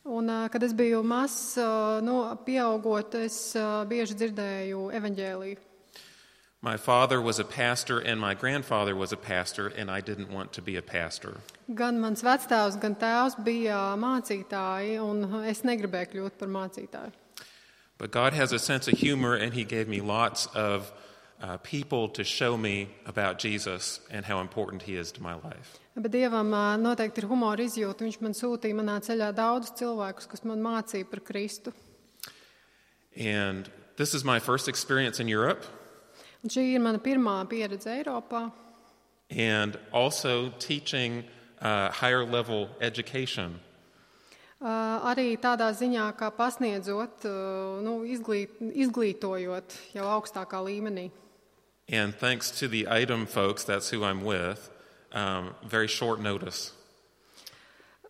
Un, kad es biju mazs, pieaugot, es bieži dzirdēju evaņģēliju. My father was a pastor and my grandfather was a pastor, and I didn't want to be a pastor. Gan mans vectēvs, gan tēvs bija mācītāji, un es negribēju kļūt par mācītāju. But God has a sense of humor, and He gave me lots of people to show me about Jesus and how important He is to my life. Bet Dievam noteikti ir humora izjūta. Viņš man sūtīja manā ceļā daudzus cilvēkus, kas man mācīja par Kristu. And this is my first experience in Europe. Un šī ir mana pirmā pieredze Eiropā. And also teaching higher level education. Arī tādā ziņā, kā pasniedzot, izglītojot jau augstākā līmenī. And thanks to the IDEM folks, that's who I'm with, very short notice.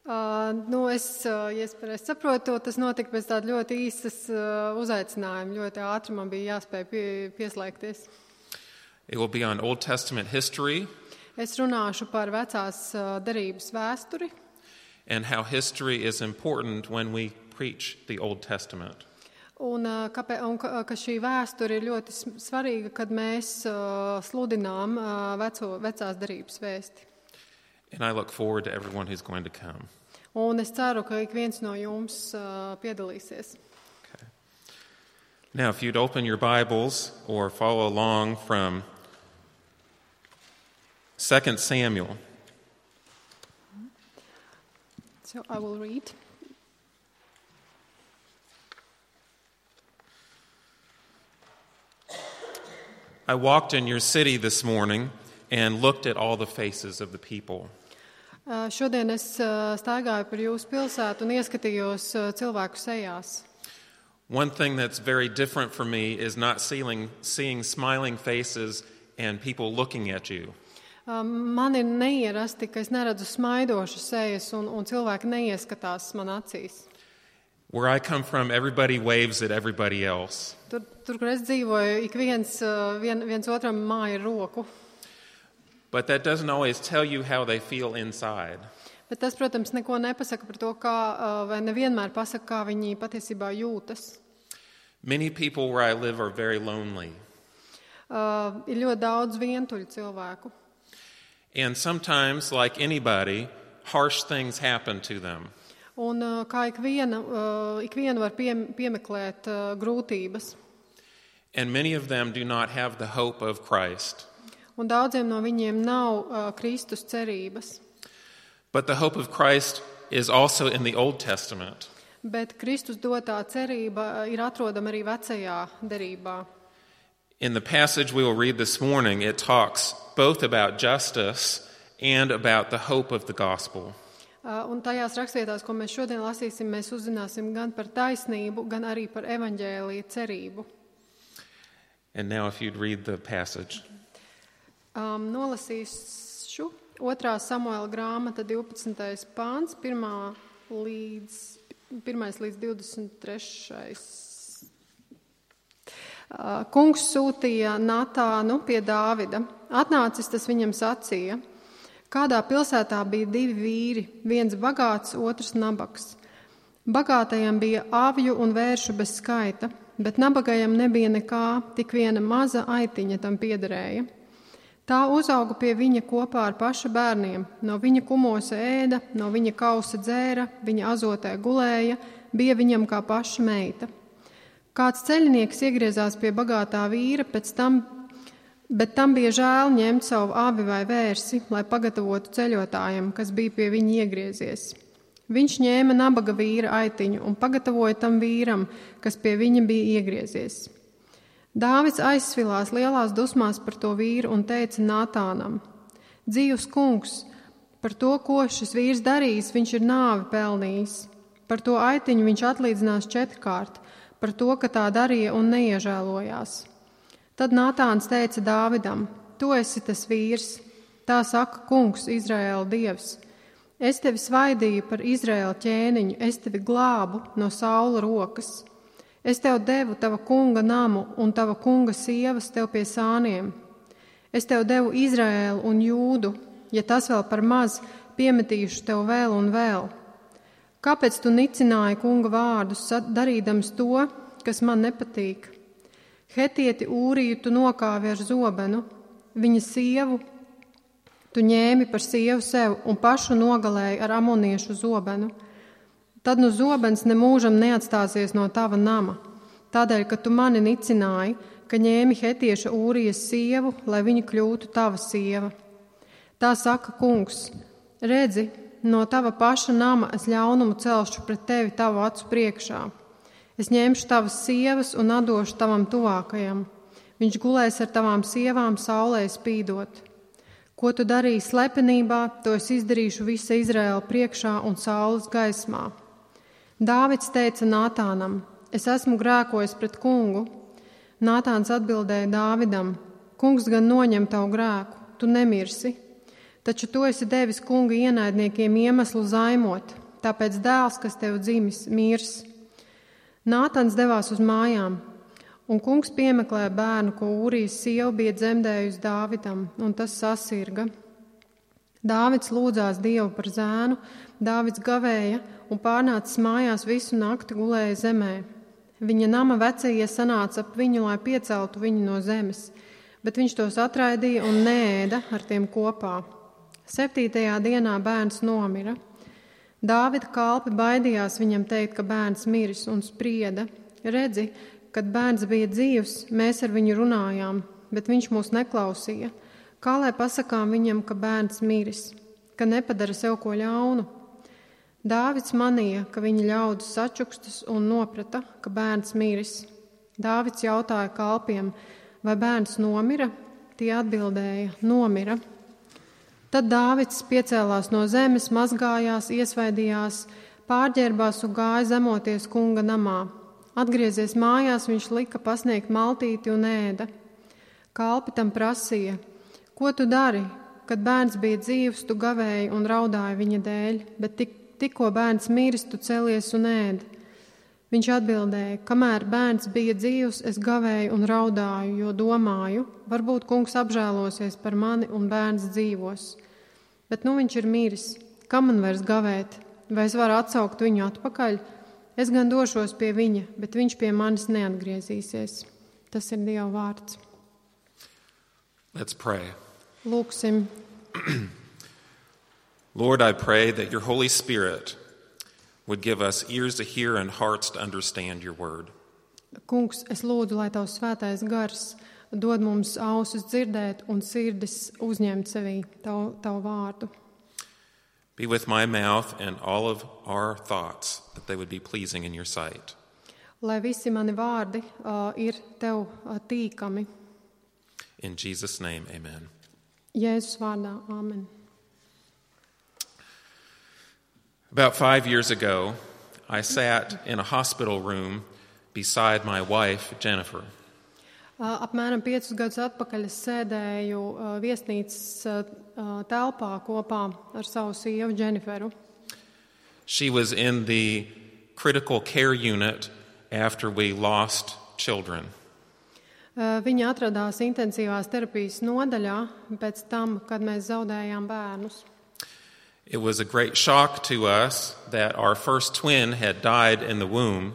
Ja es pareizi saprotu, tas notika pēc tāda ļoti īsas uzaicinājuma. Ļoti ātri man bija jāspēj pieslēgties. It will be on Old Testament history. Es runāšu par vecās derības vēsturi. And how history is important when we preach the Old Testament. Un ka šī vēsture ir ļoti svarīga, kad mēs sludinām vecās derības vēsti. And I look forward to everyone who's going to come. Un es ceru, ka ik viens no jums piedalīsies. Okay. Now, if you'd open your Bibles or follow along from 2 Samuel. So I will read. I walked in your city this morning and looked at all the faces of the people. Šodien es staigāju par jūsu pilsētu un ieskatījos cilvēku sejās. One thing that's very different for me is not seeing smiling faces and people looking at you. Man ir neierasti, ka es neredzu smaidošas sejas un cilvēki neieskatās man acīs. Where I come from, everybody waves at everybody else. Tur, kur es dzīvoju, ik viens otram māja roku. But that doesn't always tell you how they feel inside. Bet tas, protams, neko nepasaka par to, vai nevienmēr pasaka, kā viņi patiesībā jūtas. Many people where I live are very lonely. Ir ļoti daudz vientuļu cilvēku. And sometimes, like anybody, harsh things happen to them. Un kā ik vienu var piemeklēt grūtības. And many of them do not have the hope of Christ. Un daudziem no viņiem nav Kristus cerības. But the hope of Christ is also in the Old Testament. Bet Kristus dotā cerība ir atrodama arī vecajā derībā. In the passage we will read this morning, it talks both about justice and about the hope of the gospel. Un tajās rakstvietās, ko mēs šodien lasīsim, mēs uzzināsim gan par taisnību, gan arī par evaņģēlija cerību. And now if you'd read the passage. Nolasīšu 2. Samuela grāmata 12. pāns, 1. līdz 23. Kungs sūtīja Natānu pie Dāvida. Atnācis tas viņam sacīja: kādā pilsētā bija 2 vīri, viens bagāts, otrs nabaks. Bagātajam bija avju un vēršu bez skaita, bet nabagajam nebija nekā, tik viena maza aitiņa tam piederēja. Tā uzauga pie viņa kopā ar paša bērniem, no viņa kumosa ēda, no viņa kausa dzēra, viņa azotē gulēja, bija viņam kā paša meita. Kāds ceļinieks iegriezās pie bagātā vīra, bet tam bija žēl ņemt savu avi vai vērsi, lai pagatavotu ceļotājam, kas bija pie viņa iegriezies. Viņš ņēma nabaga vīra aitiņu un pagatavoja tam vīram, kas pie viņa bija iegriezies. Dāvids aizsvilās lielās dusmās par to vīru un teica Natānam: dzīvs kungs, par to, ko šis vīrs darījis, viņš ir nāvi pelnījis. Par to aitiņu viņš atlīdzinās 4-kārt, par to, ka tā darīja un neiežēlojās. Tad Natāns teica Dāvidam: tu esi tas vīrs, tā saka kungs, Izraēla dievs. Es tevi svaidīju par Izraēla ķēniņu, es tevi glābu no Saula rokas. Es tev devu tava kunga namu un tava kunga sievas tev pie sāniem. Es tev devu Izraēlu un Jūdu, ja tas vēl par maz, piemetīšu tev vēl un vēl. Kāpēc tu nicināji kunga vārdus, darīdams to, kas man nepatīk? Hetieti Ūriju tu nokāvi ar zobenu, viņa sievu tu ņēmi par sievu sev un pašu nogalēji ar amoniešu zobenu. Tad nu zobens nemūžam neatstāsies no tava nama, tādēļ, ka tu mani nicināji, ka ņēmi Hetieša Ūrijas sievu, lai viņa kļūtu tava sieva. Tā saka kungs, redzi, no tava paša nama es ļaunumu celšu pret tevi tavu acu priekšā. Es ņemšu tavas sievas un atdošu tavam tuvākajam. Viņš gulēs ar tavām sievām saulē spīdot. Ko tu darīji slepenībā, to es izdarīšu visa Izraēla priekšā un saules gaismā. Dāvids teica Nātānam, es esmu grēkojis pret kungu. Nātāns atbildēja Dāvidam, kungs gan noņem tavu grēku, tu nemirsi. Taču tu esi devis kunga ienaidniekiem iemeslu zaimot, tāpēc dēls, kas tev dzimis, mirs. Nātans devās uz mājām, un kungs piemeklēja bērnu, ko Ūrijas sieva bija dzemdējusi Dāvidam, un tas sasirga. Dāvids lūdzās Dievu par zēnu, Dāvids gavēja un pārnācis mājās visu nakti gulēja zemē. Viņa nama vecie sanāca ap viņu, lai pieceltu viņu no zemes, bet viņš tos atraidīja un neēda ar tiem kopā. 7. dienā bērns nomira. Dāvida kalpi baidījās viņam teikt, ka bērns miris, un sprieda. Redzi, kad bērns bija dzīvs, mēs ar viņu runājām, bet viņš mūs neklausīja. Kā lai pasakām viņam, ka bērns miris, ka nepadara sev ko ļaunu? Dāvids manīja, ka viņa ļaudis sačukstas un noprata, ka bērns miris. Dāvids jautāja kalpiem, vai bērns nomira? Tie atbildēja, nomira. Tad Dāvids piecēlās no zemes, mazgājās, iesvaidījās, pārģērbās un gāja zemoties kunga namā. Atgriezies mājās, viņš lika pasniegt maltīti un ēda. Kalpi tam prasīja, ko tu dari, kad bērns bija dzīvs, tu gavēji un raudāji viņa dēļ, bet tikko bērns miris, tu celies un ēdi. Viņš atbildēja, kamēr bērns bija dzīvs, es gavēju un raudāju, jo domāju, varbūt kungs apžēlosies par mani un bērns dzīvos. Bet nu viņš ir miris, kam man vairs gavēt, vai es varu atsaukt viņu atpakaļ? Es gan došos pie viņa, bet viņš pie manis neatgriezīsies. Tas ir Dieva vārds. Let's pray. Lūksim. Lord, I pray that your Holy Spirit would give us ears to hear and hearts to understand your word. Kungs, es lūdzu, lai tavs svētais gars dod mums ausis dzirdēt un sirdis uzņemt sevī tavu vārdu. Be with my mouth and all of our thoughts, that they would be pleasing in your sight. Lai visi mani vārdi ir tev tīkami. In Jesus' name, amen. Jēzus vārdā, amen. About 5 years ago, I sat in a hospital room beside my wife, Jennifer. Apmēram 5 gadus atpakaļ es sēdēju viesnīcas telpā kopā ar savu sievu Jenniferu. She was in the critical care unit after we lost children. Viņa atradās intensīvās terapijas nodaļā pēc tam, kad mēs zaudējām bērnus. It was a great shock to us that our first twin had died in the womb.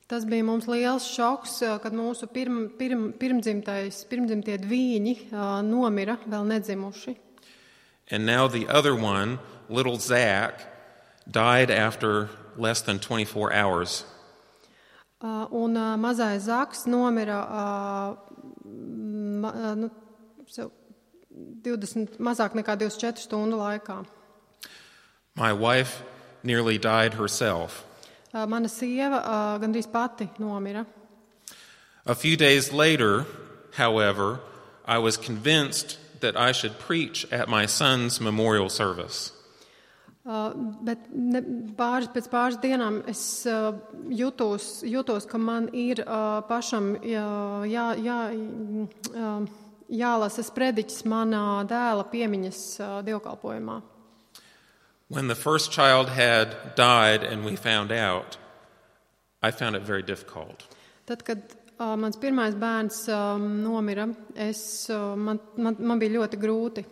Tas bija mums liels šoks, kad mūsu pirmdzimtie dvīņi nomira, vēl nedzimuši. And now the other one, little Zach, died after less than 24 hours. Un mazais Zaks nomira 20, mazāk nekā 24 stundu laikā. My wife nearly died herself. Mana sieva gandrīz pati nomira. A few days later, however, I was convinced that I should preach at my son's memorial service. Bet pēc pāris dienām es jūtos, ka man ir pašam jālasa sprediķis manā dēla piemiņas dievkalpojumā. When the first child had died and we found out, I found it very difficult. Tad, kad mans pirmais bērns nomira, man bija ļoti grūti.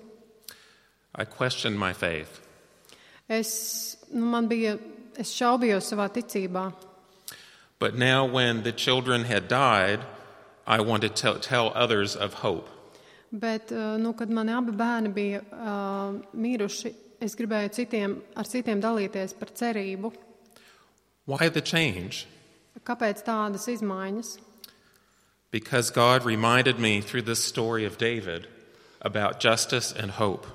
I questioned my faith. Man bija es šaubījos savā ticībā. But now when the children had died, I wanted to tell others of hope. Bet, kad mani abi bērni bija miruši, es gribēju ar citiem dalīties par cerību. Why the change? Kāpēc tādas izmaiņas? Because God reminded me through this story of David about justice and hope.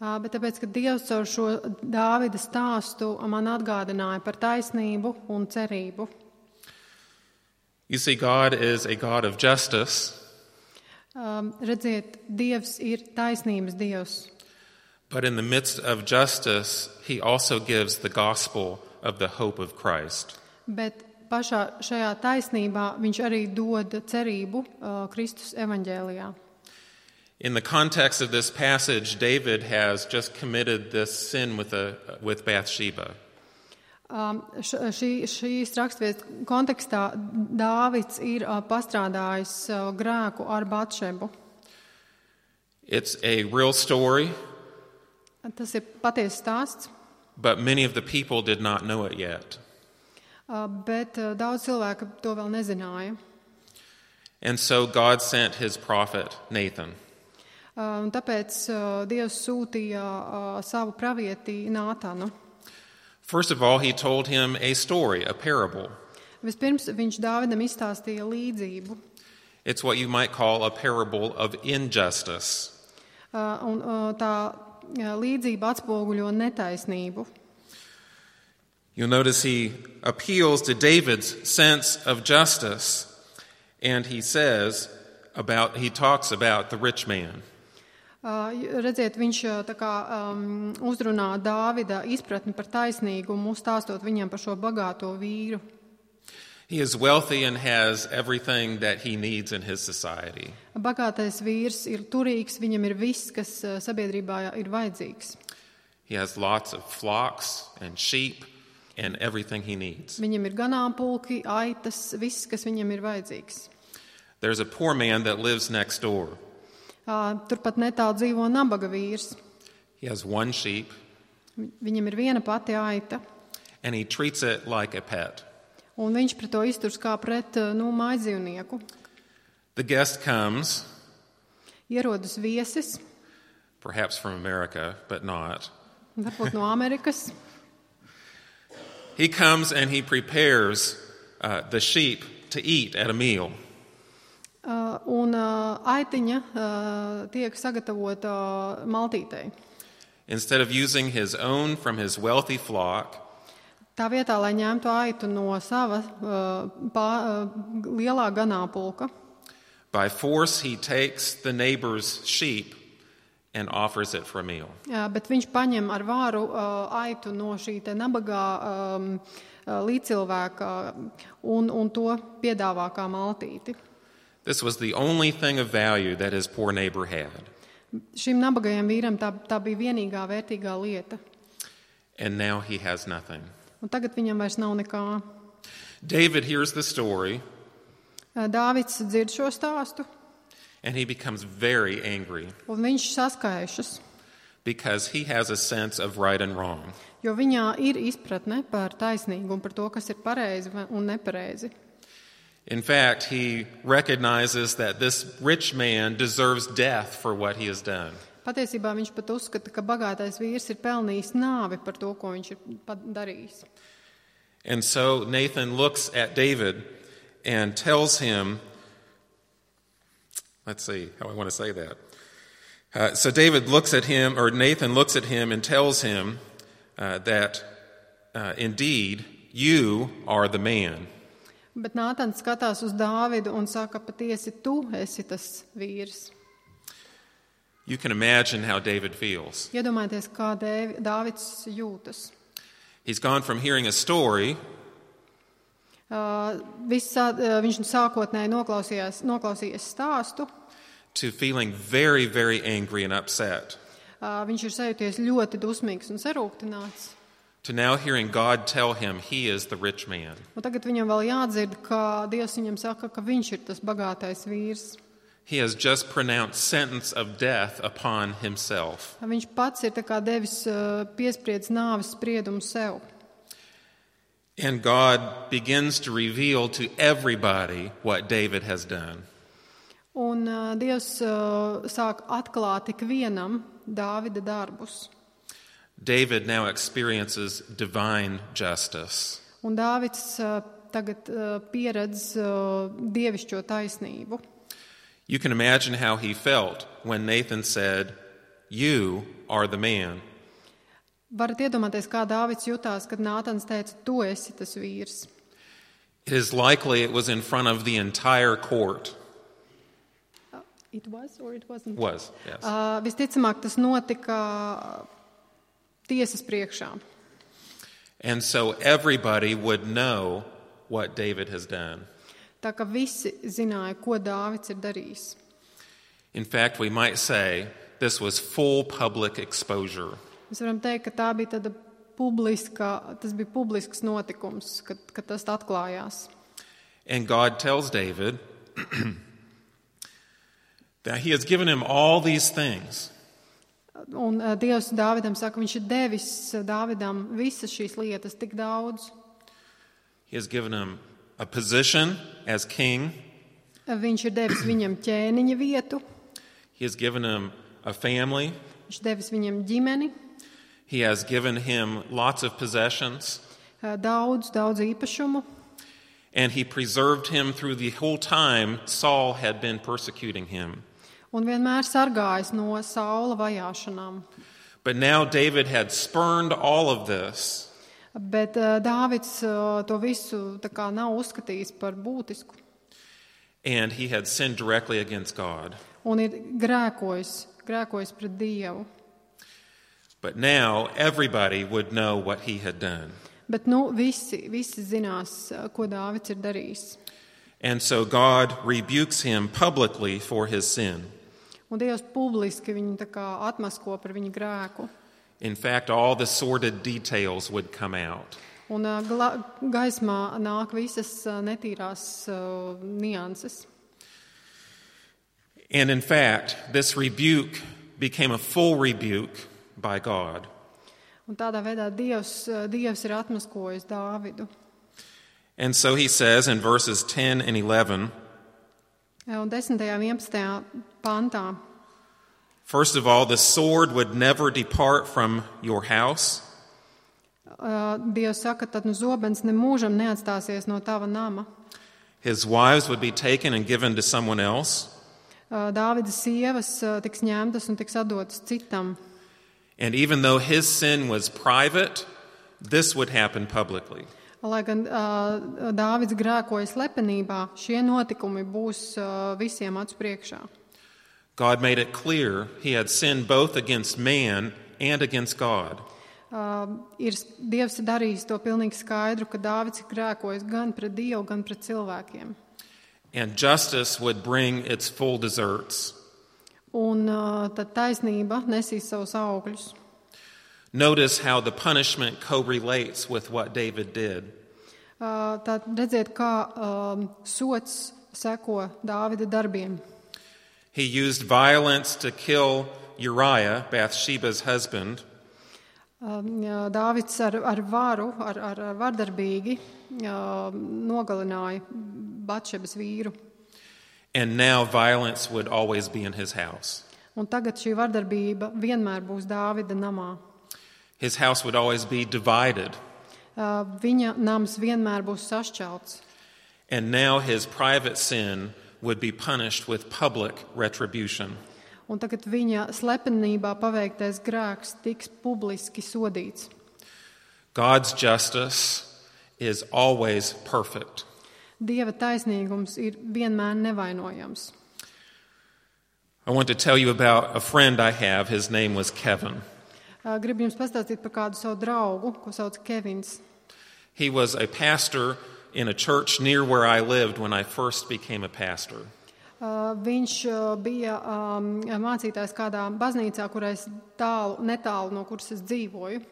Bet tāpēc, ka Dievs caur šo Dāvida stāstu man atgādināja par taisnību un cerību. You see, God is a God of justice. Redziet, Dievs ir taisnības Dievs. But in the midst of justice, he also gives the gospel of the hope of Christ. Bet pašā šajā taisnībā viņš arī dod cerību Kristus evaņģēlijā. In the context of this passage, David has just committed this sin with Bathsheba. Šīs raksturvietas kontekstā Dāvids ir pastrādājis grēku ar Batšebu. It's a real story. Tas ir patiesas stāsts. But many of the people did not know it yet. Bet daudz cilvēku to vēl nezināja. And so God sent his prophet Nathan. Un tāpēc Dievs sūtīja savu pravieti Nātanu. First of all, he told him a story, a parable. Vispirms viņš Dāvidam izstāstīja līdzību. It's what you might call a parable of injustice. Un tā līdzība atspoguļo netaisnību. You'll notice he appeals to David's sense of justice, and he talks about the rich man. Redziet, viņš tā kā uzrunā Dāvida izpratni par taisnīgumu, stāstot viņam par šo bagāto vīru. He is wealthy and has everything that he needs in his society. Bagātais vīrs ir turīgs, viņam ir viss, kas sabiedrībā ir vajadzīgs. He has lots of flocks and sheep and everything he needs. Viņam ir ganāmpulki, aitas, viss, kas viņam ir vajadzīgs. There's a poor man that lives next door. Turpat netālu dzīvo nabaga vīrs. He has one sheep. Viņam ir viena pati aita. And he treats it like a pet. Un viņš pret to izturs kā pret mājdzīvnieku. The guest comes. Ierodas viesis. Perhaps from America, but not. Varbūt no Amerikas. He comes and he prepares the sheep to eat at a meal. Un aitiņa tiek sagatavota maltītei. Instead of using his own from his wealthy flock, tā vietā, lai ņemtu aitu no sava lielā ganāmpulka, by force he takes the neighbor's sheep and offers it for a meal. Bet viņš paņem ar vāru aitu no šī te nabagā līdzcilvēka un to piedāvā kā maltīti. This was the only thing of value that his poor neighbor had. Šim nabagajam vīram tā bija vienīgā vērtīgā lieta. And now he has nothing. Un tagad viņam vairs nav nekā. David hears the story. Dāvids dzird šo stāstu. And he becomes very angry. Un viņš saskaišas. Because he has a sense of right and wrong. Jo viņā ir izpratne par taisnīgumu, par to, kas ir pareizi un nepareizi. In fact, he recognizes that this rich man deserves death for what he has done. Patiesībā viņš pat uzskata, ka bagātais vīrs ir pelnījis nāvi par to, ko viņš ir darījis. And so Nathan looks at David and tells him, let's see how I want to say that. So David looks at him, or Nathan looks at him and tells him that indeed you are the man. Bet Nātans skatās uz Dāvidu un saka, patiesi tu esi tas vīrs. You can imagine how David feels. Iedomājieties, kā Dāvids jūtas. He's gone from hearing a story. Viņš sākotnēji noklausījies stāstu. To feeling very, very angry and upset. Viņš ir sajūties ļoti dusmīgs un sarūktināts. To now hearing God tell him he is the rich man. Un tagad viņam vēl jādzird, ka Dievs viņam saka, ka viņš ir tas bagātais vīrs. He has just pronounced sentence of death upon himself. Viņš pats ir tā kā devis piespriedz nāves spriedumu sev. And God begins to reveal to everybody what David has done. Un Dievs sāk atklāt ikvienam Dāvida darbus. David now experiences divine justice. Un Dāvids tagad pieredz dievišķo taisnību. You can imagine how he felt when Nathan said, "You are the man." Varat iedomāties, kā Dāvids jutās, kad Nātans teica, tu esi tas vīrs. It is likely it was in front of the entire court. It was or it wasn't? Was, yes. Visticamāk, tas notika tiesas priekšā. And so everybody would know what David has done. Tā kā visi zināja, ko Dāvids ir darījis. In fact, we might say this was full public exposure. Mēs varam teikt, ka tā bija tāda tas bija publisks notikums, kad tas atklājās. And God tells David that he has given him all these things. Un Dievs Dāvidam saka, viņš ir devis Dāvidam visas šīs lietas, tik daudz. He has given him a position as king. Viņš ir devis viņam ķēniņa vietu. He has given him a family. Viņš devis viņam ģimeni. He has given him lots of possessions. Daudz īpašumu. And he preserved him through the whole time Saul had been persecuting him. Un vienmēr sargājis no Saula vajāšanām. But now David had spurned all of this. Bet Dāvids to visu tā kā nav uzskatījis par būtisku. And he had sinned directly against God. Un ir grēkojis pret Dievu. But now everybody would know what he had done. Bet visi zinās, ko Dāvids ir darījis. And so God rebukes him publicly for his sin. Un Dievs publiski viņu tā kā atmasko par viņu grēku. In fact, all the sordid details would come out. Un gaismā nāk visas netīrās nianses. And in fact, this rebuke became a full rebuke by God. Un tādā veidā Dievs ir atmaskojis Dāvidu. And so he says in verses 10 and 11, Un 10. un 11. pantā. First of all, the sword would never depart from your house. Dievs saka, tad zobens nemūžam neatstāsies no tava nama. His wives would be taken and given to someone else. Dāvida sievas tiks ņemtas un tiks atdotas citam. And even though his sin was private, this would happen publicly. Lai gan Dāvids grēkoja slepenībā, šie notikumi būs visiem acu priekšā. God made it clear he had sinned both against man and against God. Dievs ir darījis to pilnīgi skaidru, ka Dāvids ir grēkojis gan pret Dievu, gan pret cilvēkiem. And justice would bring its full deserts. Un tad taisnība nesīs savus augļus. Notice how the punishment correlates with what David did. Tad redziet, kā sots seko Dāvida darbiem. He used violence to kill Uriah, Bathsheba's husband. Dāvids ar varu, ar vardarbīgi nogalināja Batšebas vīru. And now violence would always be in his house. Un tagad šī vardarbība vienmēr būs Dāvida namā. His house would always be divided. Viņa nams vienmēr būs sašķelts. And now his private sin would be punished with public retribution. Un tagad viņa slepenībā paveiktais grēks tiks publiski sodīts. God's justice is always perfect. Dieva taisnīgums ir vienmēr nevainojams. I want to tell you about a friend I have. His name was Kevin. Gribu jums pastāstīt par kādu savu draugu, ko sauc Kevins. He was a pastor in a church near where I lived when I first became a pastor. Viņš bija mācītājs kādā baznīcā, kurais netālu no kuras es dzīvoju.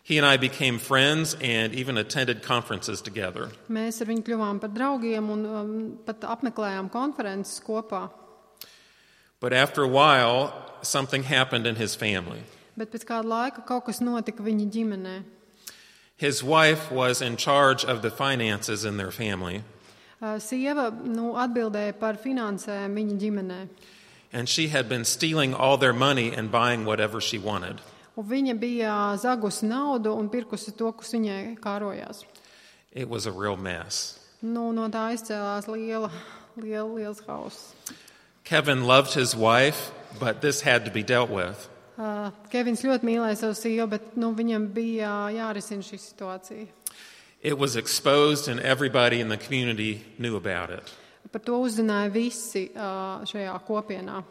He and I became friends and even attended conferences together. Mēs ar viņu kļuvām par draugiem un pat apmeklējām konferences kopā. But after a while, something happened in his family. Bet pēc kāda laika kaut kas notika viņa ģimenē. His wife was in charge of the finances in their family. Sieva atbildēja par finansēm viņa ģimenē. And she had been stealing all their money and buying whatever she wanted. Un viņa bija zagusi naudu un pirkusi to, kas viņai kārojās. It was a real mess. No tā izcēlās liels hauss. Kevin loved his wife, but this had to be dealt with. Kevins ļoti mīlēja savu sievu, bet viņam bija jārisina šī situācija. It was exposed and everybody in the community knew about it. Par to uzzināja visi šajā kopienā.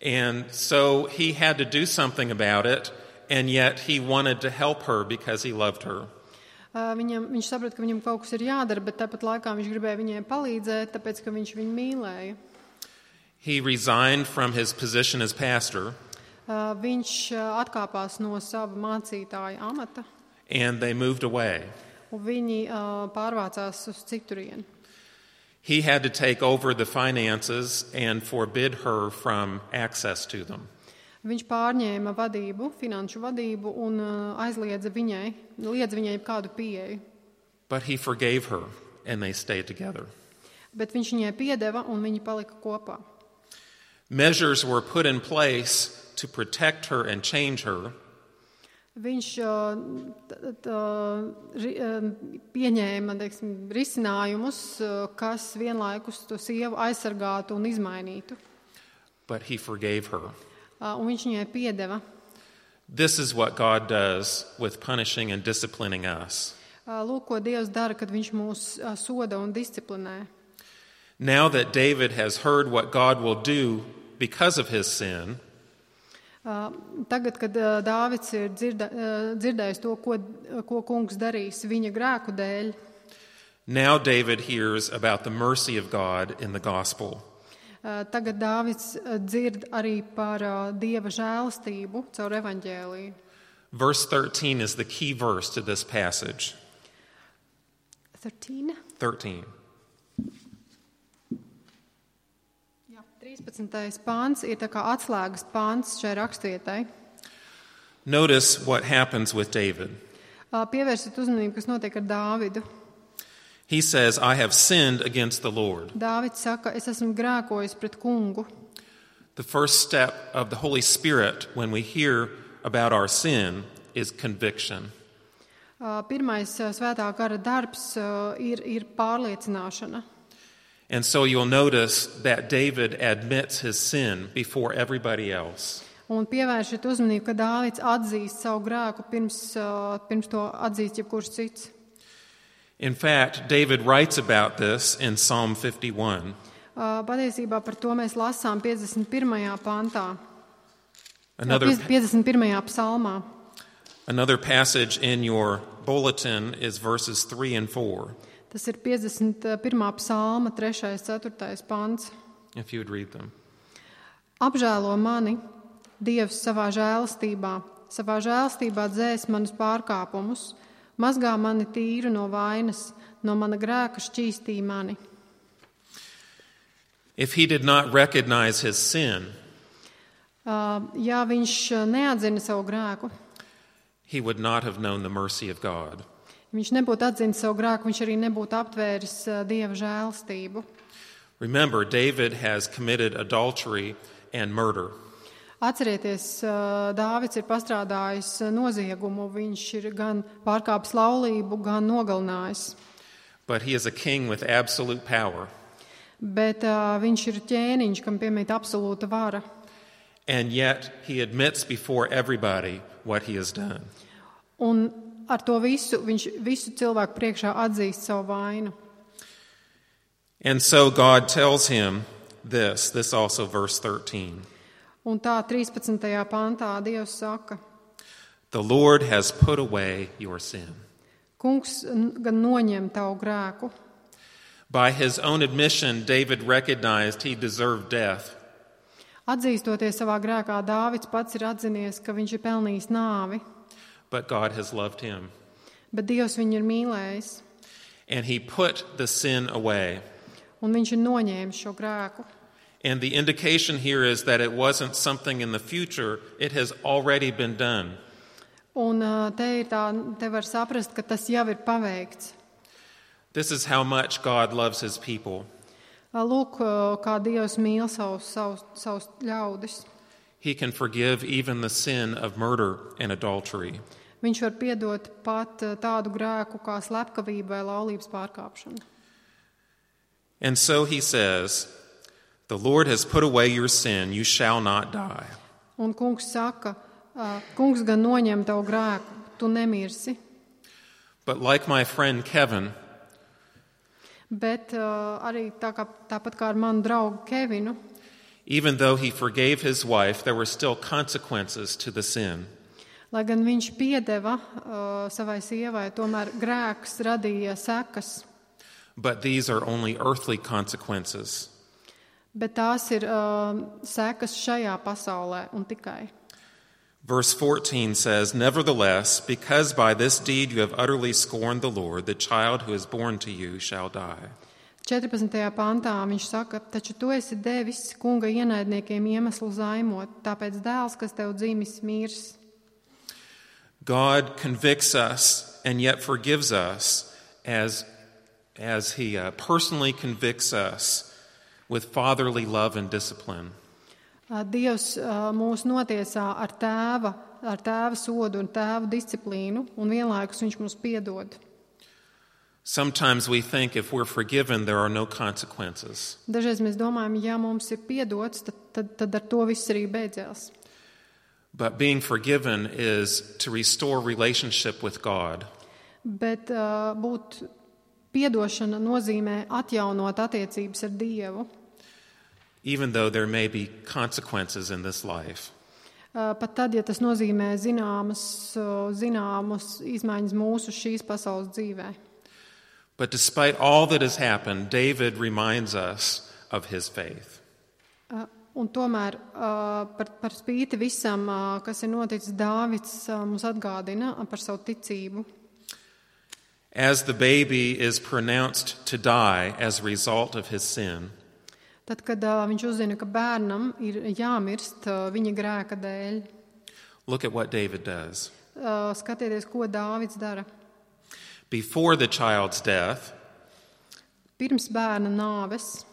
And so he had to do something about it, and yet he wanted to help her because he loved her. Viņš saprata, ka viņam kaut kas ir jādara, bet tāpat laikā viņš gribēja viņai palīdzēt, tāpēc, ka viņš viņu mīlēja. He resigned from his position as pastor. Viņš atkāpās no sava mācītāja amata. And they moved away. Un viņi pārvācās uz citurieni. He had to take over the finances and forbid her from access to them. Viņš pārņēma finanšu vadību un liedza viņai kādu pieeju. But he forgave her and they stayed together. Bet viņš viņai piedeva un viņi palika kopā. Measures were put in place to protect her and change her. Viņš pieņēma risinājumus, kas vienlaikus to sievu aizsargātu un izmainītu. But he forgave her. Un viņš viņai piedeva. This is what God does with punishing and disciplining us. Lūk, ko Dievs dara, kad viņš mūs soda un disciplinē. Now that David has heard what God will do because of his sin, tagad, kad Dāvids ir dzirdējis to, ko kungs darīs viņa grēku dēļ, now David hears about the mercy of God in the gospel. Tagad Dāvids dzird arī par Dieva žēlastību caur evaņģēliju. Verse 13 is the key verse to this passage. 13. 13. pāns ir tā kā atslēgas pāns šai rakstvietai. Notice what happens with David. Pievērsiet uzmanību, kas notiek ar Dāvidu. He says, I have sinned against the Lord. Dāvids saka, es esmu grēkojis pret kungu. The first step of the Holy Spirit when we hear about our sin is conviction. Pirmais svētā gara darbs ir pārliecināšana. And so you'll notice that David admits his sin before everybody else. Un pievēršiet uzmanību, ka Dāvids atzīst savu grēku pirms to atzīst jebkurš cits. In fact, David writes about this in Psalm 51. Patiesībā par to mēs lasām 51. pantā. 51. psalmā. Another passage in your bulletin is verses 3 and 4. Tas ir 51. psalma 3. 4. pants. If you would read them. Apžēlo mani, Dievs, savā žēlastībā dzēs manus pārkāpumus, mazgā mani tīru no vainas, no mana grēka šķīstī mani. If he did not recognize his sin, ja viņš neatzina savu grēku, he would not have known the mercy of God. Viņš nebūtu atzinis savu grēku, viņš arī nebūtu aptvēris Dieva žēlastību. Remember, David has committed adultery and murder. Atcerieties, Dāvids ir pastrādājis noziegumu, viņš ir gan pārkāpis laulību, gan nogalinājis. But he is a king with absolute power. Bet viņš ir ķēniņš, kam piemīt absolūta vara. And yet he admits before everybody what he has done. Un ar to viņš visu cilvēku priekšā atzīst savu vainu. And so God tells him this also verse 13. Un tā 13. pantā Dievs saka, The Lord has put away your sin. Kungs gan noņem tavu grēku. By his own admission, David recognized he deserved death. Atzīstoties savā grēkā, Dāvids pats ir atzinies, ka viņš ir pelnījis nāvi. But God has loved him. Bet Dievs viņu ir mīlējis. And he put the sin away. Un viņš ir noņēmis šo grēku. And the indication here is that it wasn't something in the future, it has already been done. Un te var saprast, ka tas jau ir paveikts. This is how much God loves his people. Lūk, kā Dievs mīl savus ļaudis. He can forgive even the sin of murder and adultery. Viņš var piedot pat tādu grēku kā slepkavība vai laulības pārkāpšana. And so he says, "The Lord has put away your sin, you shall not die." Un kungs saka, kungs gan noņem tavu grēku, tu nemirsi. But like my friend Kevin, Bet arī tāpat kā ar manu draugu Kevinu, even though he forgave his wife, there were still consequences to the sin. lai gan viņš piedeva savai sievai, tomēr grēks radīja sekas. But these are only earthly consequences. Bet tās ir sekas šajā pasaulē un tikai. Verse 14 says, "Nevertheless, because by this deed you have utterly scorned the Lord, the child who is born to you shall die." 14. pantā viņš saka, taču tu esi devis kunga ienaidniekiem iemeslu zaimot, tāpēc dēls, kas tev dzimis, mirs. God convicts us and yet forgives us as he personally convicts us with fatherly love and discipline. Dievs mūs notiesā ar tēva sodu un tēva disciplīnu, un vienlaikus viņš mums piedod. Sometimes we think if we're forgiven, there are no consequences. Dažreiz mēs domājam, ja mums ir piedots, tad ar to viss arī beidzās. But being forgiven is to restore relationship with God. Bet būt piedošana nozīmē atjaunot attiecības ar Dievu. Even though there may be consequences in this life. Pat tad, ja tas nozīmē zināmas izmaiņas mūsu šīs pasaules dzīvē. But despite all that has happened, David reminds us of his faith. Un tomēr par spīti visam, kas ir noticis, Dāvids mums atgādina par savu ticību. As the baby is pronounced to die as a result of his sin, Tad, kad viņš uzzina, ka bērnam ir jāmirst viņa grēka dēļ, look at what David does. skatieties, ko Dāvids dara. Before the child's death, Pirms bērna nāves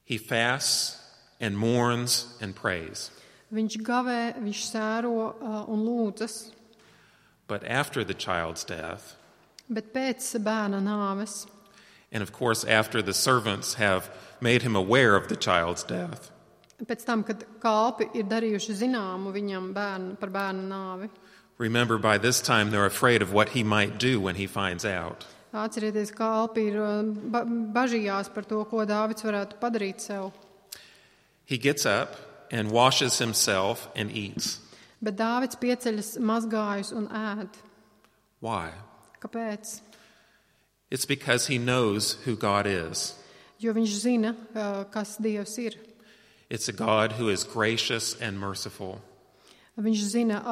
he fasts and mourns and prays. viņš gavē, viņš sēro un lūdzas, But after the child's death, bet pēc bērna nāves, and of course after the servants have made him aware of the child's death, pēc tam, kad kalpi ir darījuši zināmu viņam par bērna nāvi, remember by this time they're afraid of what he might do when he finds out. atcerieties, kalpi ir bažījās par to, ko Dāvids varētu padarīt sev. He gets up and washes himself and eats. Bet Dāvids pieceļas mazgājus un ēd. Why? Kāpēc? It's because he knows who God is. Jo viņš zina, kas Dievs ir. It's a God who is gracious and merciful. Viņš zina,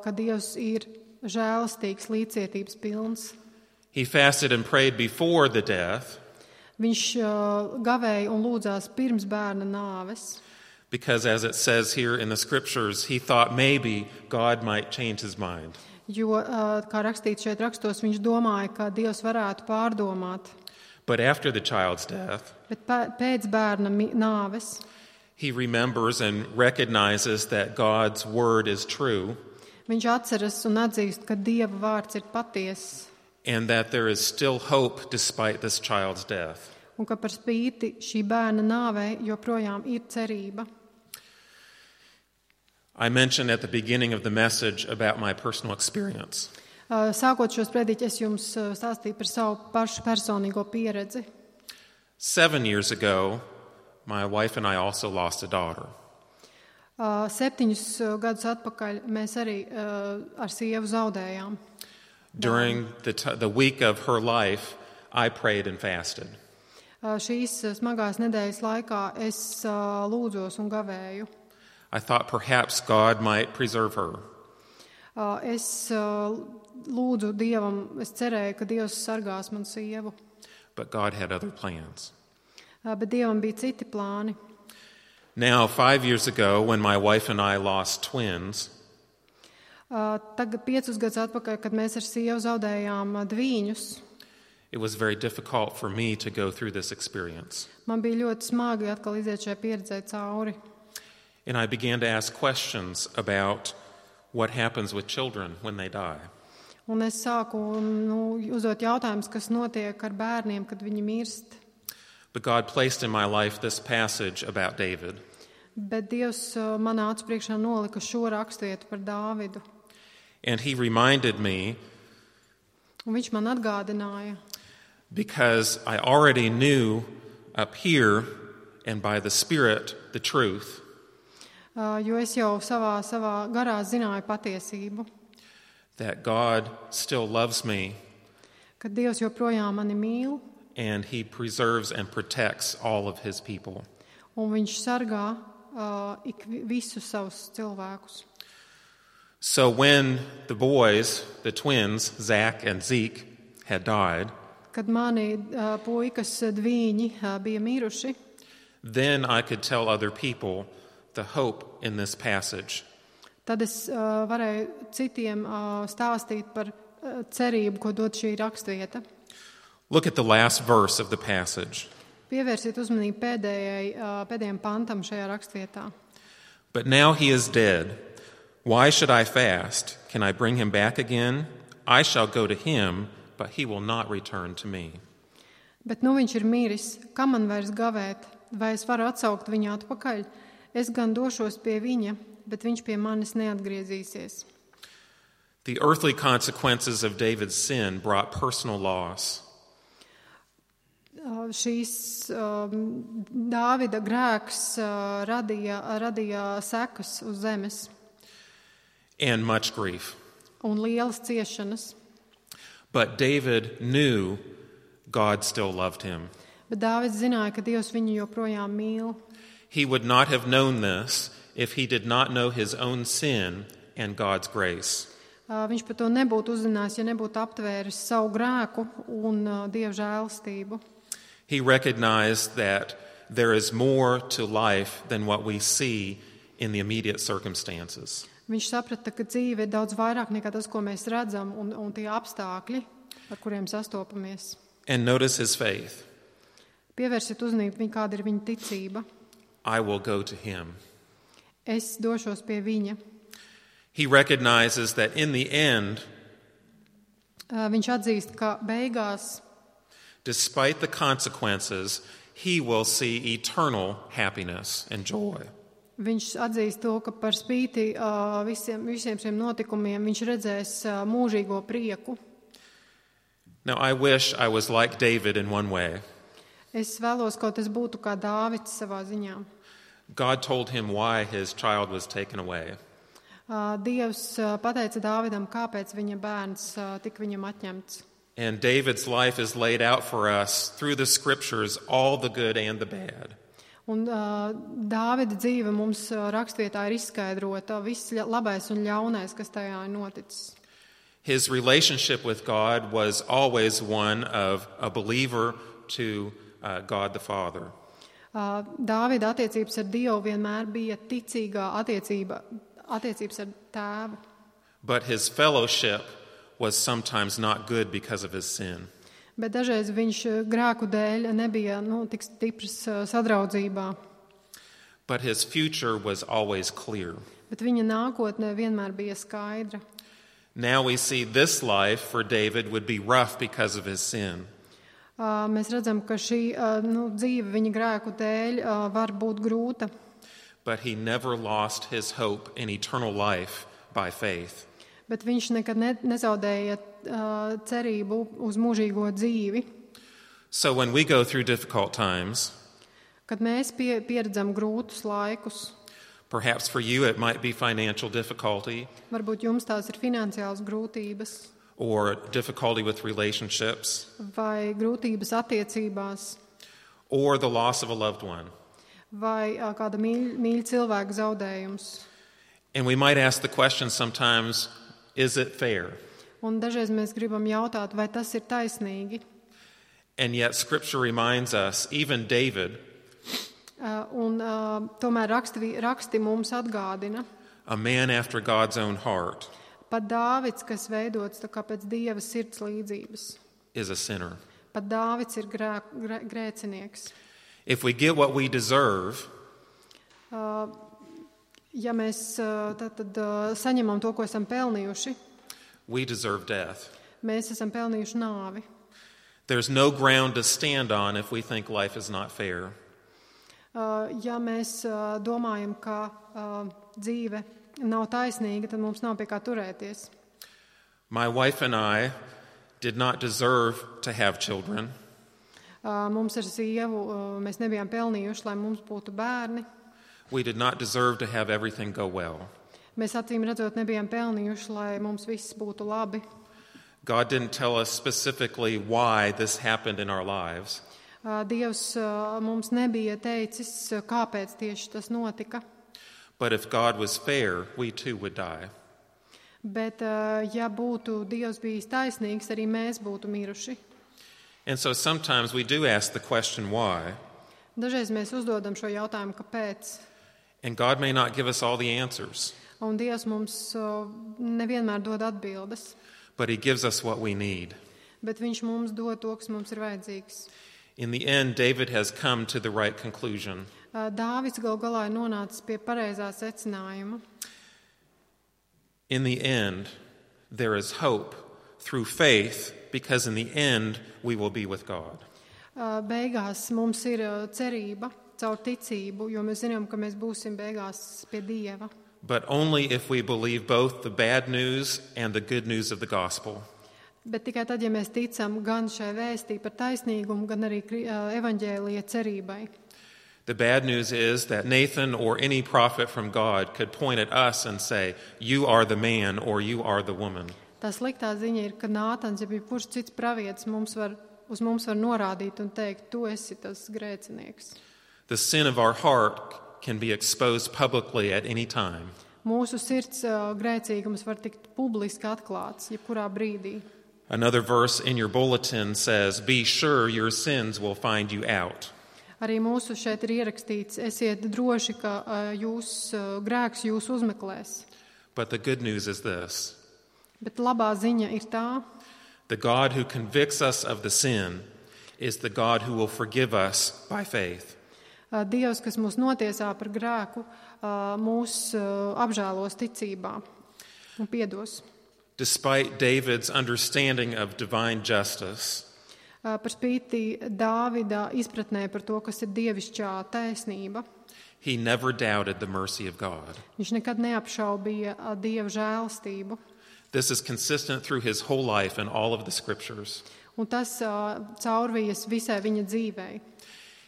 ka Dievs ir žēlastīgs, līdzcietības pilns. He fasted and prayed before the death Viņš gavēja un lūdzās pirms bērna nāves. because, as it says here in the scriptures, he thought maybe God might change his mind. Jo, kā rakstīts šeit rakstos, viņš domāja, ka Dievs varētu pārdomāt. But after the child's death, Bet pēc bērna nāves he remembers and recognizes that God's word is true viņš atceras un atzīst, ka Dieva vārds ir patiess and that there is still hope despite this child's death. un ka par spīti šī bērna nāvei joprojām ir cerība. I mentioned at the beginning of the message about my personal experience. Sākot šo sprediķi, es jums stāstīju par savu pašu personīgo pieredzi. 7 years ago, my wife and I also lost a daughter. 7 gadus atpakaļ mēs arī ar sievu zaudējām. During the week of her life, I prayed and fasted. Šīs smagās nedēļas laikā es lūdzos un gavēju. I thought perhaps God might preserve her. Es lūdzu Dievam, es cerēju, ka Dievs sargās manu sievu. But God had other plans. Bet Dievam bija citi plāni. Now, 5 years ago, when my wife and I lost twins, Tagad 5 gadus atpakaļ, kad mēs ar sievu zaudējām dvīņus, it was very difficult for me to go through this experience. man bija ļoti smagi atkal iziet šai pieredzē cauri. And I began to ask questions about what happens with children when they die. Un es sāku uzdot jautājumus, kas notiek ar bērniem, kad viņi mirst. But God placed in my life this passage about David. Bet Dievs manā acu priekšā nolika šo raksturvietu par Dāvidu. And he reminded me, Un viņš man atgādināja, because I already knew up here and by the Spirit the truth, jo es jau savā garā zināju patiesību, that God still loves me ka Dievs joprojām mani mīl, and he preserves and protects all of his people. un viņš sargā visus savus cilvēkus. So when the boys, the twins, Zach and Zeke, had died, Kad mani puikas dvīņi bija miruši, then I could tell other people the hope in this passage. tad es varēju citiem stāstīt par cerību, ko dod šī raksturvieta. Look at the last verse of the passage. Pievērsiet uzmanību pēdējiem pantam šajā raksturvietā. But now he is dead. Why should I fast? Can I bring him back again? I shall go to him, but he will not return to me. Bet nu viņš ir miris, kam man vairs gavēt, vai es varu atsaukt viņu atpakaļ? Es gan došos pie viņa, bet viņš pie manis neatgriezīsies. The earthly consequences of David's sin brought personal loss. Šīs Dāvida grēks radīja sekas uz zemes And much grief. un lielas ciešanas. But David knew God still loved him. Bet Dāvids zināja, ka Dievs viņu joprojām mīl. He would not have known this if he did not know his own sin and God's grace. Viņš par to nebūtu uzzinājis, ja nebūtu aptvēris savu grēku un Dieva žēlastību. He recognized that there is more to life than what we see in the immediate circumstances. Viņš saprata, ka dzīve ir daudz vairāk nekā tas, ko mēs redzam, un tie apstākļi, ar kuriem sastopamies. And notice his faith. Pievērsiet uzmanību, kāda ir viņa ticība. I will go to him. Es došos pie viņa. He recognizes that in the end, Viņš atzīst, ka beigās, despite the consequences, he will see eternal happiness and joy. viņš atzīst to, ka par spīti visiem šiem notikumiem viņš redzēs mūžīgo prieku. Now, I wish I was like David in one way. Es vēlos, kaut es būtu kā Dāvids savā ziņā. God told him why his child was taken away. Dievs pateica Dāvidam, kāpēc viņa bērns tika viņam atņemts. And David's life is laid out for us through the scriptures, all the good and the bad. Un Dāvida dzīve mums rakstvietā ir izskaidrota, viss labais un ļaunais, kas tajā ir noticis. His relationship with God was always one of a believer to God the Father. Dāvida attiecības ar Dievu vienmēr bija ticīgā attiecības ar tēvu. But his fellowship was sometimes not good because of his sin. Bet dažreiz viņš grēku dēļ nebija tik stiprs sadraudzībā. But his future was always clear. Bet viņa nākotne vienmēr bija skaidra. Now we see this life for David would be rough because of his sin. Mēs redzam, ka šī dzīve viņa grēku dēļ var būt grūta. But he never lost his hope in eternal life by faith. Bet viņš nekad nezaudēja cerību uz mūžīgo dzīvi. So when we go through difficult times, Kad mēs pieredzam grūtus laikus, perhaps for you it might be financial difficulty varbūt jums tās ir finansiālas grūtības or difficulty with relationships vai grūtības attiecībās or the loss of a loved one. vai kāda mīļa cilvēka zaudējums. And we might ask the question sometimes, is it fair? Un dažreiz mēs gribam jautāt, vai tas ir taisnīgi. And yet Scripture reminds us, even David, Tomēr raksti mums atgādina, a man after God's own heart, Pat Dāvids, kas veidots tā kā pēc Dieva sirds līdzības. is a sinner. Pat Dāvids ir grēcinieks. If we get what we deserve, Ja mēs tad saņemam to, ko esam pelnījuši, we deserve death. mēs esam pelnījuši nāvi. There's no ground to stand on if we think life is not fair. Ja mēs domājam, ka dzīve nav taisnīga, tad mums nav pie kā turēties. My wife and I did not deserve to have children. Mums ar sievu mēs nebijām pelnījuši, lai mums būtu bērni. We did not deserve to have everything go well. Mēs acīm redzot nebijām pelnījuši, lai mums viss būtu labi. God didn't tell us specifically why this happened in our lives. Dievs mums nebija teicis, kāpēc tieši tas notika. But if God was fair, we too would die. Bet, ja būtu Dievs bijis taisnīgs, arī mēs būtu miruši. And so sometimes we do ask the question why, Dažreiz mēs uzdodam šo jautājumu, kāpēc. and God may not give us all the answers, Un Dievs mums nevienmēr dod atbildes, but He gives us what we need. bet Viņš mums dod to, kas mums ir vajadzīgs. In the end, David has come to the right conclusion. Dāvids gal galā ir nonācis pie pareizā secinājuma. In the end, there is hope through faith, because in the end, we will be with God. Beigās mums ir cerība caur ticību, jo mēs zinām, ka mēs būsim beigās pie Dieva. But only if we believe both the bad news and the good news of the gospel. Bet tikai tad, ja mēs ticam gan šai vēstī par taisnīgumu, gan arī evaņģēlija cerībai. The bad news is that Nathan or any prophet from God could point at us and say, "You are the man," or "You are the woman." Tā sliktā ziņa ir, ka Nātans, ja jebkurš cits pravietis uz mums var norādīt un teikt, tu esi tas grēcinieks. The sin of our heart can be exposed publicly at any time. Mūsu sirds grēcīgums var tikt publiski atklāts, jebkurā brīdī. Another verse in your bulletin says, "Be sure your sins will find you out." Arī mūsu šeit ir ierakstīts, esiet droši, ka jūs grēks jūs uzmeklēs. But the good news is this: Bet labā ziņa ir tā, the God who convicts us of the sin is the God who will forgive us by faith. Dievs, kas mūs notiesā par grēku, mūs apžēlos ticībā un piedos. Despite David's understanding of divine justice, Par spīti Dāvida izpratnē par to, kas ir dievišķā taisnība, he never doubted the mercy of God. viņš nekad neapšaubīja Dieva žēlastību. This is consistent through his whole life and all of the scriptures. Un tas caurvijas visai viņa dzīvei.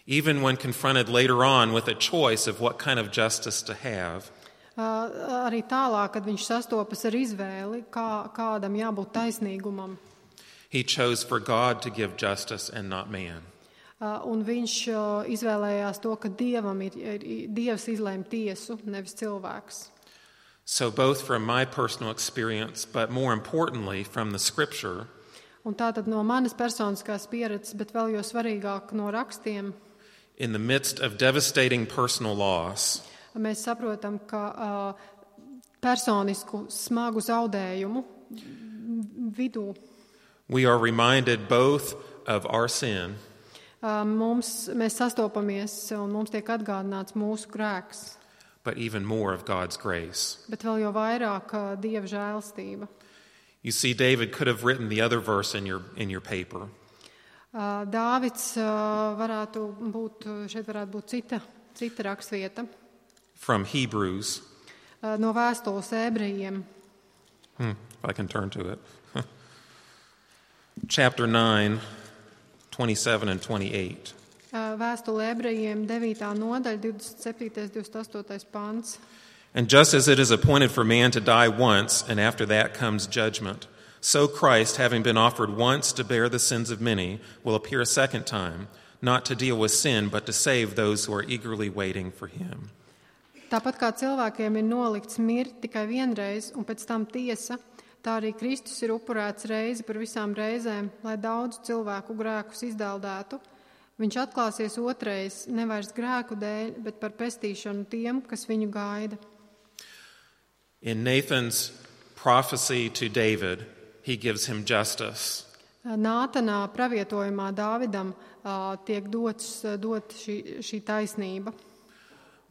Even when confronted later on with a choice of what kind of justice to have, Arī tālāk, kad viņš sastopas ar izvēli, kādam jābūt taisnīgumam, he chose for God to give justice and not man. un viņš izvēlējās to, ka Dievs izlēma tiesu, nevis cilvēks. So both from my personal experience, but more importantly from the scripture, Un tātad no manas personiskās pieredzes, bet vēl jo svarīgāk no rakstiem, in the midst of devastating personal loss, mēs saprotam, ka personisku smagu zaudējumu vidū we are reminded both of our sin mēs sastopamies un mums tiek atgādināts mūsu grēks, but even more of God's grace. bet vēl jo vairāk Dieva žēlastība. You see, David could have written the other verse in your paper. Dāvids šeit varētu būt cita rakstvieta From Hebrews, no vēstules ebrejiem. if I can turn to it. Chapter 9, 27 and 28. Vēstule ebrejiem 9. nodaļa, 27. 28. pants. And just as it is appointed for man to die once, and after that comes judgment, so Christ, having been offered once to bear the sins of many, will appear a second time, not to deal with sin, but to save those who are eagerly waiting for him. Tāpat kā cilvēkiem ir nolikts mirt tikai vienreiz un pēc tam tiesa, tā arī Kristus ir upurēts reizi par visām reizēm, lai daudz cilvēku grēkus izdeldētu. Viņš atklāsies otrais, nevairs grēku dēļ, bet par pestīšanu tiem, kas viņu gaida. In Nathan's prophecy to David, he gives him justice. Nātanā pravietojumā Dāvidam tiek dot šī taisnība.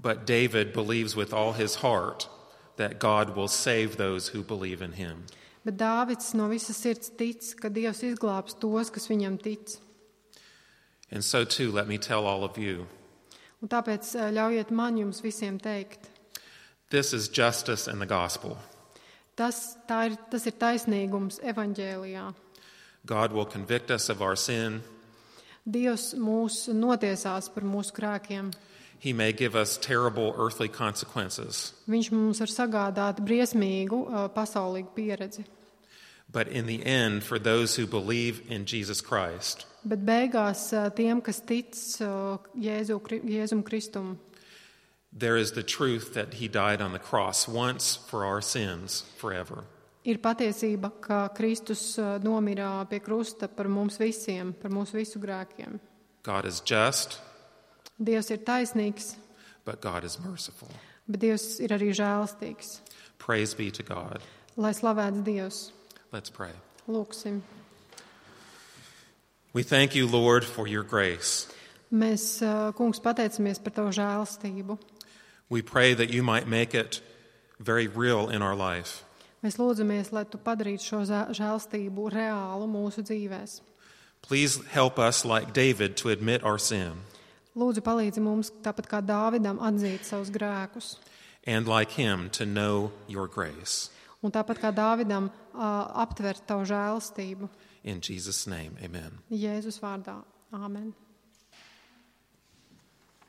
But David believes with all his heart that God will save those who believe in him. Bet Dāvids no visas sirds tic, ka Dievs izglābs tos, kas viņam tic. And so too, let me tell all of you, Un tāpēc ļaujiet man jums visiem teikt. this is justice in the gospel. Tas ir taisnīgums evaņģēlijā. God will convict us of our sin. Dievs mūs notiesās par mūsu grēkiem. He may give us terrible earthly consequences. Viņš mums var sagādāt briesmīgu pasaulīgu pieredzi. But in the end, for those who believe in Jesus Christ, Bet beigās tiem, kas tic Jēzum Kristum, there is the truth that he died on the cross once for our sins forever. ir patiesība, ka Kristus nomira pie krusta par mums visiem, par mūsu visu grēkiem. God is just, Dievs ir taisnīgs, but God is merciful. bet Dievs ir arī žēlstīgs. Praise be to God. Lai slavēts Dievs. Let's pray. Lūksim. We thank you, Lord, for your grace. Mēs, kungs, pateicamies par tavu žēlstību. We pray that you might make it very real in our life. Mēs lūdzamies, lai tu padarītu šo žēlstību reālu mūsu dzīvēs. Please help us, like David, to admit our sin, Lūdzu, palīdzi mums, tāpat kā Dāvidam, atzīt savus grēkus. and like him, to know your grace. Un tāpat kā Dāvidam, aptvert tavu žēlstību. In Jesus' name, amen. Jēzus vārdā. Āmen.